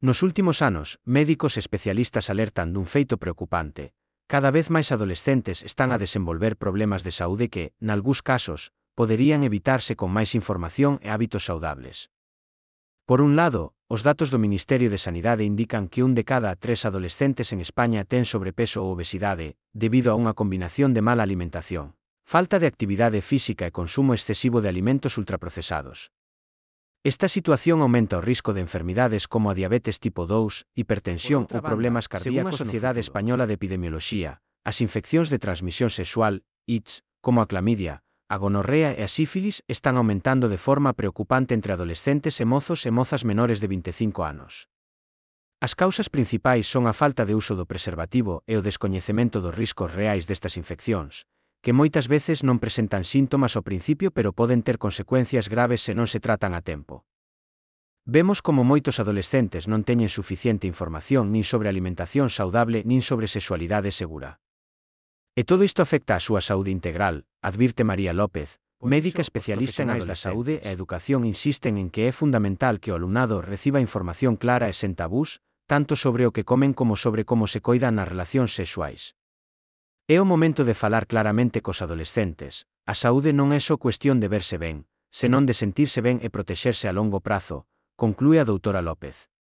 Nos últimos anos, médicos especialistas alertan dun feito preocupante. Cada vez máis adolescentes están a desenvolver problemas de saúde que, nalgúns casos, poderían evitarse con máis información e hábitos saudables. Por un lado, os datos do Ministerio de Sanidade indican que 1 de cada 3 adolescentes en España ten sobrepeso ou obesidade, debido a unha combinación de mala alimentación, falta de actividade física e consumo excesivo de alimentos ultraprocesados. Esta situación aumenta o risco de enfermidades como a diabetes tipo 2, hipertensión ou problemas cardíacos. Según a Sociedade Española de Epidemioloxía, as infeccións de transmisión sexual, ITS, como a clamidia, a gonorrea e a sífilis están aumentando de forma preocupante entre adolescentes e mozas menores de 25 anos. As causas principais son a falta de uso do preservativo e o descoñecemento dos riscos reais destas infeccións, que moitas veces non presentan síntomas ao principio pero poden ter consecuencias graves se non se tratan a tempo. Vemos como moitos adolescentes non teñen suficiente información nin sobre alimentación saudable nin sobre sexualidade segura. E todo isto afecta a súa saúde integral, advirte María López, médica especialista en áreas da saúde e a educación. Insisten en que é fundamental que o alumnado reciba información clara e sen tabús, tanto sobre o que comen como sobre como se coidan nas relacións sexuais. É o momento de falar claramente cos adolescentes. A saúde non é só cuestión de verse ben, senón de sentirse ben e protexerse a longo prazo, conclúe a doutora López.